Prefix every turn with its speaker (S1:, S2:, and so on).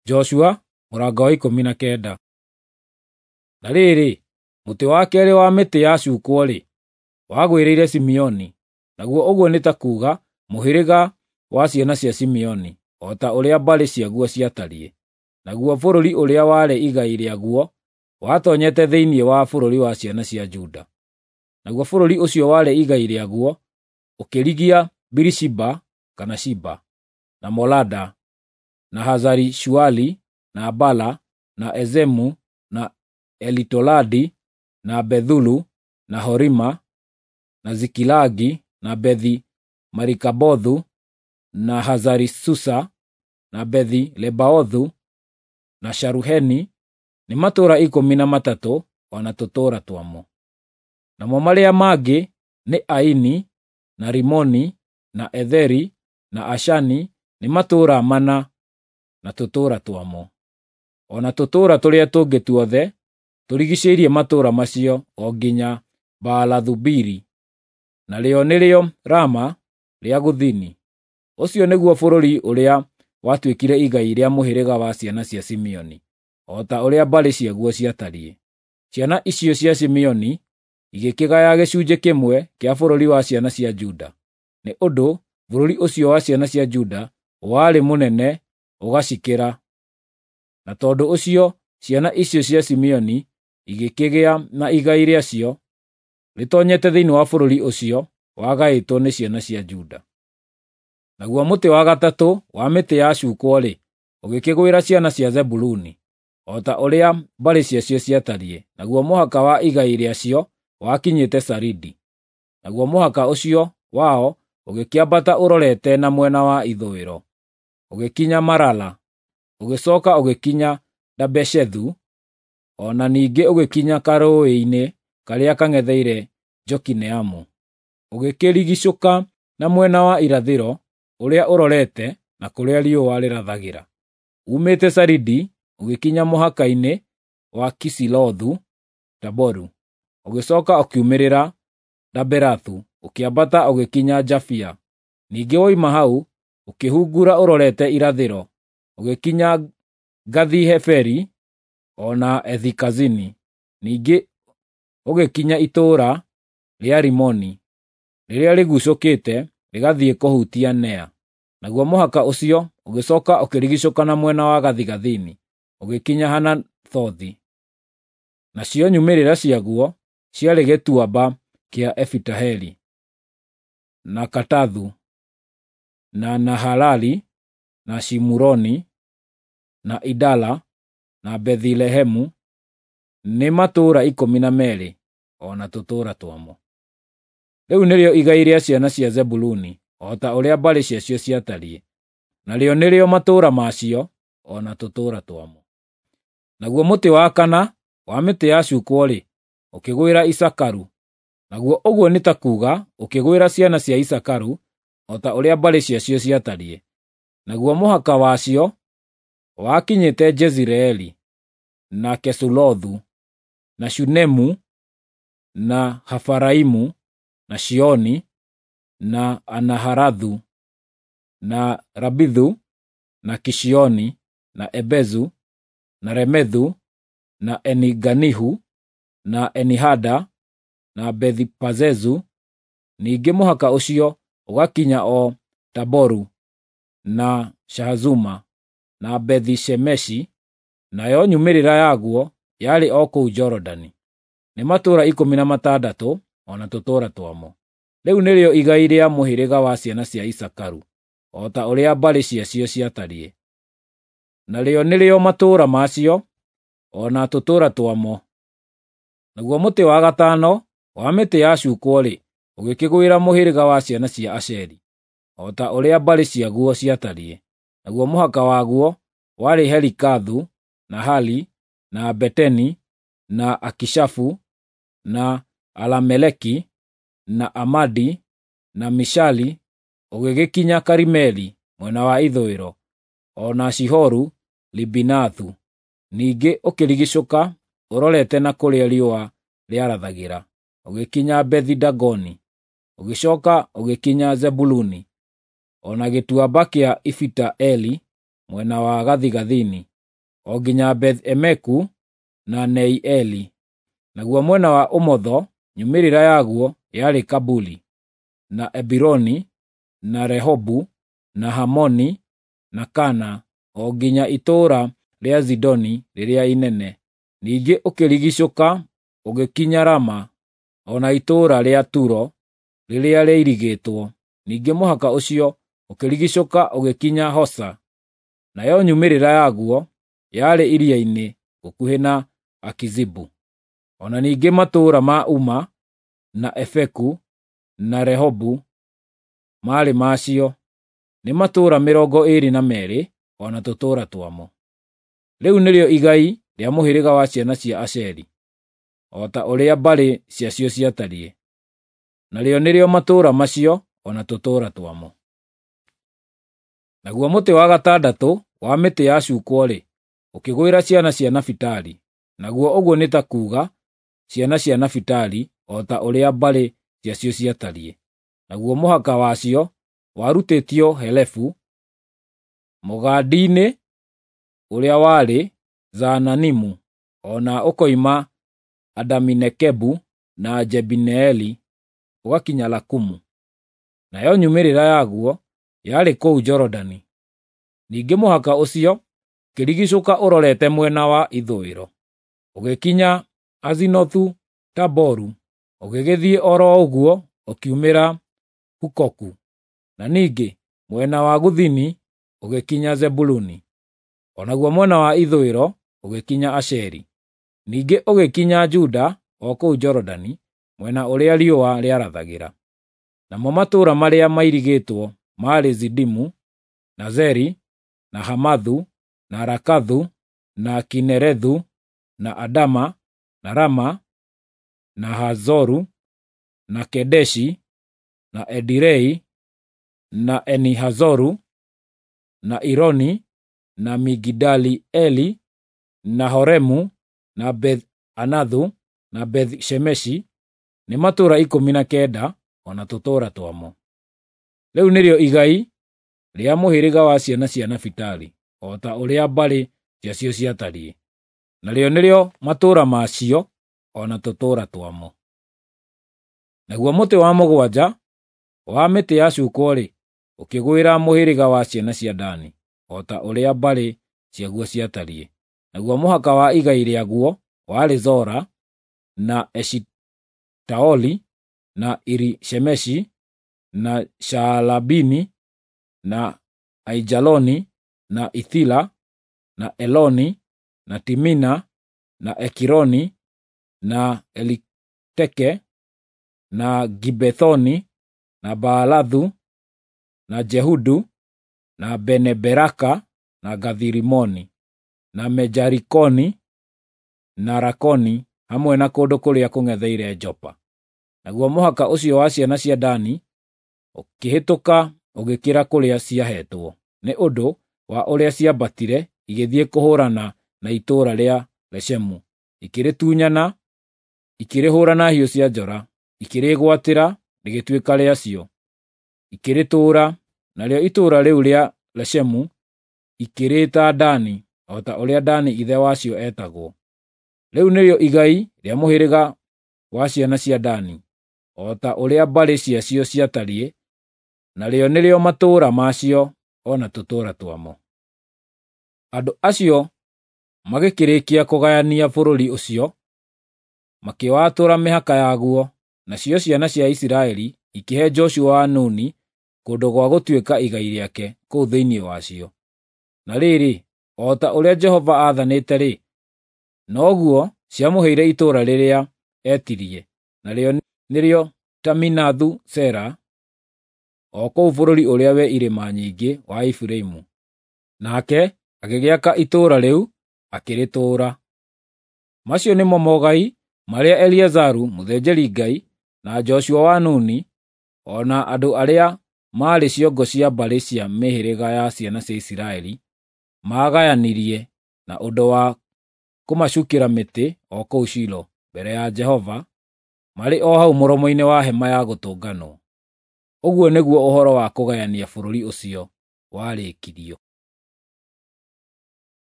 S1: Joshua mũrango wa 19. Na rĩrĩ, mũtĩ wa keerĩ wa mĩtĩ yacuukwo-rĩ, wagwĩrĩire Simeoni, naguo ũguo nĩ ta kuuga mũhĩrĩga wa ciana cia Simeoni, o ta ũrĩa mbarĩ ciaguo ciatariĩ. Naguo bũrũri ũrĩa warĩ igai rĩaguo watoonyete thĩinĩ wa bũrũri wa ciana cia Juda. Naguo bũrũri ũcio warĩ igai rĩaguo ũkĩrigia Birishiba kana Shiba, na Molada, na Hazari-Shuali, na Bala, na Ezemu, na Elitoladi, na Bethulu, na Horima, na Zikilagi, na Bethi-Marikabothu, na Hazari-Susa, na Bethi-Lebaothu, na Sharuheni, nĩ matũũra 13 o na tũtũũra twamo. Namo marĩa mangĩ nĩ Aini, na Rimoni, na Etheri, na Ashani, nĩ matũũra 4 na tũtũũra twamo. O na tũtũũra tũrĩa tũngĩ tuothe tũrigiicĩirie matũũra macio o nginya Baalathu-Biri, narĩo nĩrĩo Rama rĩa gũthini. Ũcio nĩguo bũrũri ũrĩa watuĩkire igai rĩa mũhĩrĩga wa ciana cia Simeoni, o ta ũrĩa mbarĩ ciaguo ciatariĩ. Ciana icio cia Simeoni igĩkĩgaya gĩcunjĩ kĩmwe kĩa bũrũri wa ciana cia Juda, nĩ ũndũ bũrũri ũcio wa ciana cia Juda warĩ mũnene ũgacikĩra. Na tondũ ũcio ciana icio cia Simeoni igĩkĩgĩa na igai rĩacio rĩtoonyete thĩinĩ wa bũrũri ũcio wagaĩtwo nĩ ciana cia Juda. Naguo mũtĩ wa gatatũ wa mĩtĩ yacuukwo-rĩ, ũgĩkĩgwĩra ciana cia Zebuluni, o ta ũrĩa mbarĩ ciacio ciatariĩ, naguo mũhaka wa igai rĩacio wakinyĩte Saridi. Naguo mũhaka ũcio wao ũgĩkĩambata ũrorete na mwena wa ithũĩro, ũgĩkinya Marala, ũgĩcooka ũgĩkinya Dabeshethu, o na ningĩ ũgĩkinya karũũĩ-inĩ karĩa kang'etheire Jokineamu. Ũgĩkĩrigiicũka na mwena wa irathĩro ũrĩa ũrorete na kũrĩa riũa rĩrathagĩra. Uumĩte Saridi ũgĩkinya mũhaka-inĩ wa Kisilothu-Taboru, ũgĩcooka ũkiumĩrĩra Daberathu, ũkĩambata ũgĩkinya Jafia. Ningĩ woima hau ũkĩhungura ũrorete irathĩro, ũgĩkinya Gathi-Heferi o na Ethi-Kazini. Ningĩ ũgĩkinya itũũra rĩa Rimoni, rĩrĩa rĩguucũkĩte rĩgathiĩ kũhutia Nea. Naguo mũhaka ũcio ũgĩcooka ũkĩrigiicũka na mwena wa gathigathini, ũgĩkinya Hanathothi. Nacio nyumĩrĩra ciaguo ciarĩ Gĩtuamba kĩa Efitaheli, na Katathu, na Nahalali, na Shimuroni, na Idala, na Bethilehemu, nĩ matũũra 12 o na tũtũũra twamo. Rĩu nĩrĩo igai rĩa ciana cia Zebuluni, o ta ũrĩa mbarĩ ciacio ciatariĩ, narĩo nĩrĩo matũũra macio o na tũtũũra twamo. Naguo mũtĩ wa kana wa mĩtĩ yacuukwo-rĩ, ũkĩgwĩra Isakaru, naguo ũguo nĩ ta kuuga ũkĩgwĩra ciana cia Isakaru, o ta ũrĩa mbarĩ ciacio ciatariĩ. Naguo mũhaka wacio wakinyĩte Jezireeli, na Kesulothu, na Shunemu, na Hafaraimu, na Shioni, na Anaharathu, na Rabithu, na Kishioni, na Ebezu, na Remethu, na Eni-Ganihu, na Eni-Hada, na Bethi-Pazezu. Ningĩ mũhaka ũcio ũgakinya o Taboru, na Shahazuma, na Bethi-Shemeshi, nayo nyumĩrĩra yaguo yarĩ o kũu Jorodani. Nĩ matũũra 16 o na tũtũũra twamo. Rĩu nĩrĩo igai rĩa mũhĩrĩga wa ciana cia Isakaru, o ta ũrĩa mbarĩ ciacio ciatariĩ. Narĩo nĩrĩo matũũra macio o na tũtũũra twamo. Naguo mũtĩ wa gatano wa mĩtĩ yacuukwo-rĩ, ũgĩkĩgwĩra mũhĩrĩga wa ciana cia Asheri, o ta ũrĩa mbarĩ ciaguo ciatariĩ. Naguo mũhaka waguo warĩ Helikathu, na Hali, na Beteni, na Akishafu, na Alameleki, na Amadi, na Mishali, ũgĩgĩkinya Karimeli mwena wa ithũĩro, o na Shihoru Libinathu. Ningĩ ũkĩrigiicũka ũrorete na kũrĩa riũa rĩarathagĩra, ũgĩkinya Bethi-Dagoni, ũgĩcooka ũgĩkinya Zebuluni, o na gĩtuamba kĩa Ifita-Eli mwena wa gathigathini. o nginya Beth-emeku na Neieli. Naguo mwena wa ũmotho nyumĩrĩra yaguo yarĩ Kabuli, na Ebironi, na Rehobu, na Hamoni, na Kana, o nginya itũũra rĩa Zidoni rĩrĩa inene. Ningĩ ũkĩrigiicũka ũgĩkinya Rama, o na itũũra rĩa Turo rĩrĩa rĩirigĩtwo. Ningĩ mũhaka ũcio ũkĩrigiicũka ũgĩkinya Hosa, nayo nyumĩrĩra yaguo yarĩ iria-inĩ gũkuhĩ na Akizibu. O na ningĩ matũũra ma Uma, na Efeku, na Rehobu maarĩ macio, nĩ matũũra 22 o na tũtũũra twamo. Rĩu nĩrĩo igai rĩa mũhĩrĩga wa ciana cia Asheri, o ta ũrĩa mbarĩ ciacio ciatariĩ. Narĩo nĩrĩo matũũra macio o na tũtũũra twamo. Naguo mũtĩ wa gatandatũ wa mĩtĩ yacuukwo-rĩ, ũkĩgwĩra ciana cia Nafitali, naguo ũguo nĩ ta kuuga ciana cia Nafitali o ta ũrĩa mbarĩ ciacio ciatariĩ. Naguo mũhaka wacio warutĩtio Helefu, mũgandi-inĩ ũrĩa warĩ Zaananimu, o na ũkoima Adami-Nekebu na Jebineeli, ũgakinya Lakumu. Nayo nyumĩrĩra yaguo yarĩ kũu Jorodani. Ningĩ mũhaka ũcio ũkĩrigiicũka ũrorete mwena wa ithũĩro, ũgĩkinya Azinothu-Taboru, ũgĩgĩthiĩ o ro ũguo ũkiumĩra Hukoku, na ningĩ mwena wa gũthini ũgĩkinya Zebuluni, o naguo mwena wa ithũĩro ũgĩkinya Asheri. Ningĩ ũgĩkinya Juda o kũu Jorodani, mwena ũrĩa riũa rĩarathagĩra. Namo matũũra marĩa mairigĩtwo maarĩ Zidimu, na Zeri, na Hamathu, na Rakathu, na Kinerethu, na Adama, na Rama, na Hazoru, na Kedeshi, na Edirei, na Eni-Hazoru, na Ironi, na Migidali-Eli, na Horemu, na Beth-Anathu, na Beth-Shemeshi, nĩ matũũra 19 o na tũtũũra twamo. Rĩu nĩrĩo igai rĩa mũhĩrĩga wa ciana cia Nafitali, o ta ũrĩa mbarĩ ciacio ciatariĩ. Narĩo nĩrĩo matũũra macio o na tũtũũra twamo. Naguo mũtĩ wa mũgwanja wa mĩtĩ yacuukwo-rĩ, ũkĩgwĩra mũhĩrĩga wa ciana cia Dani, o ta ũrĩa mbarĩ ciaguo ciatariĩ. Naguo mũhaka wa igai rĩaguo warĩ Zora, na Eshitaoli, na Iri-Shemeshi, na Shaalabini, na Aijaloni, na Ithila, na Eloni, na Timina, na Ekironi, na Eliteke, na Gibethoni, na Baalathu, na Jehudu, na Bene-Beraka, na Gathi-Rimoni, na Mejarikoni, na Rakoni, hamwe na kũndũ kũrĩa kũng'etheire Jopa. Naguo mũhaka ũcio wa ciana cia Dani ũkĩhĩtũka ũgĩkĩra kũrĩa ciaheetwo, nĩ ũndũ wa ũrĩa ciambatire igĩthiĩ kũhũũrana na itũũra rĩa Leshemu, ikĩrĩtunyana, ikĩrĩhũũra na hiũ cia njora, ikĩrĩĩgwatĩra rĩgĩtuĩka rĩacio, ikĩrĩtũũra, narĩo itũũra rĩu rĩa Leshemu ikĩrĩĩta Dani, o ta ũrĩa Dani ithe wacio etagwo. Rĩu nĩrĩo igai rĩa mũhĩrĩga wa ciana cia Dani, o ta ũrĩa mbarĩ ciacio ciatariĩ, narĩo nĩrĩo matũũra macio o na tũtũũra twamo. Andũ acio magĩkĩrĩkia kũgayania bũrũri ũcio, makĩwatũra mĩhaka yaguo, nacio ciana cia Isiraeli ikĩhe Joshua wa Nuni kũndũ gwa gũtuĩka igai rĩake kũu thĩinĩ wacio. Na rĩrĩ, o ta ũrĩa Jehova aathanĩte-rĩ, noguo ciamũheire itũũra rĩrĩa etirie, narĩo nĩrĩo Taminathu-Sera, o kũu bũrũri ũrĩa wĩ irĩma nyingĩ wa Efiraimu. Nake agĩgĩaka itũũra rĩu akĩrĩtũũra. Macio nĩmo mogai marĩa Eliazaru mũthĩnjĩri-Ngai na Joshua wa Nuni, o na andũ arĩa maarĩ ciongo cia mbarĩ cia mĩhĩrĩga ya ciana cia Isiraeli maagayanirie na ũndũ wa kũmacuukĩra mĩtĩ o kũu Shilo mbere ya Jehova, marĩ o hau mũromo-inĩ wa hema ya gũtũnganwo. Ũguo nĩguo ũhoro wa kũgayania bũrũri ũcio warĩkirio.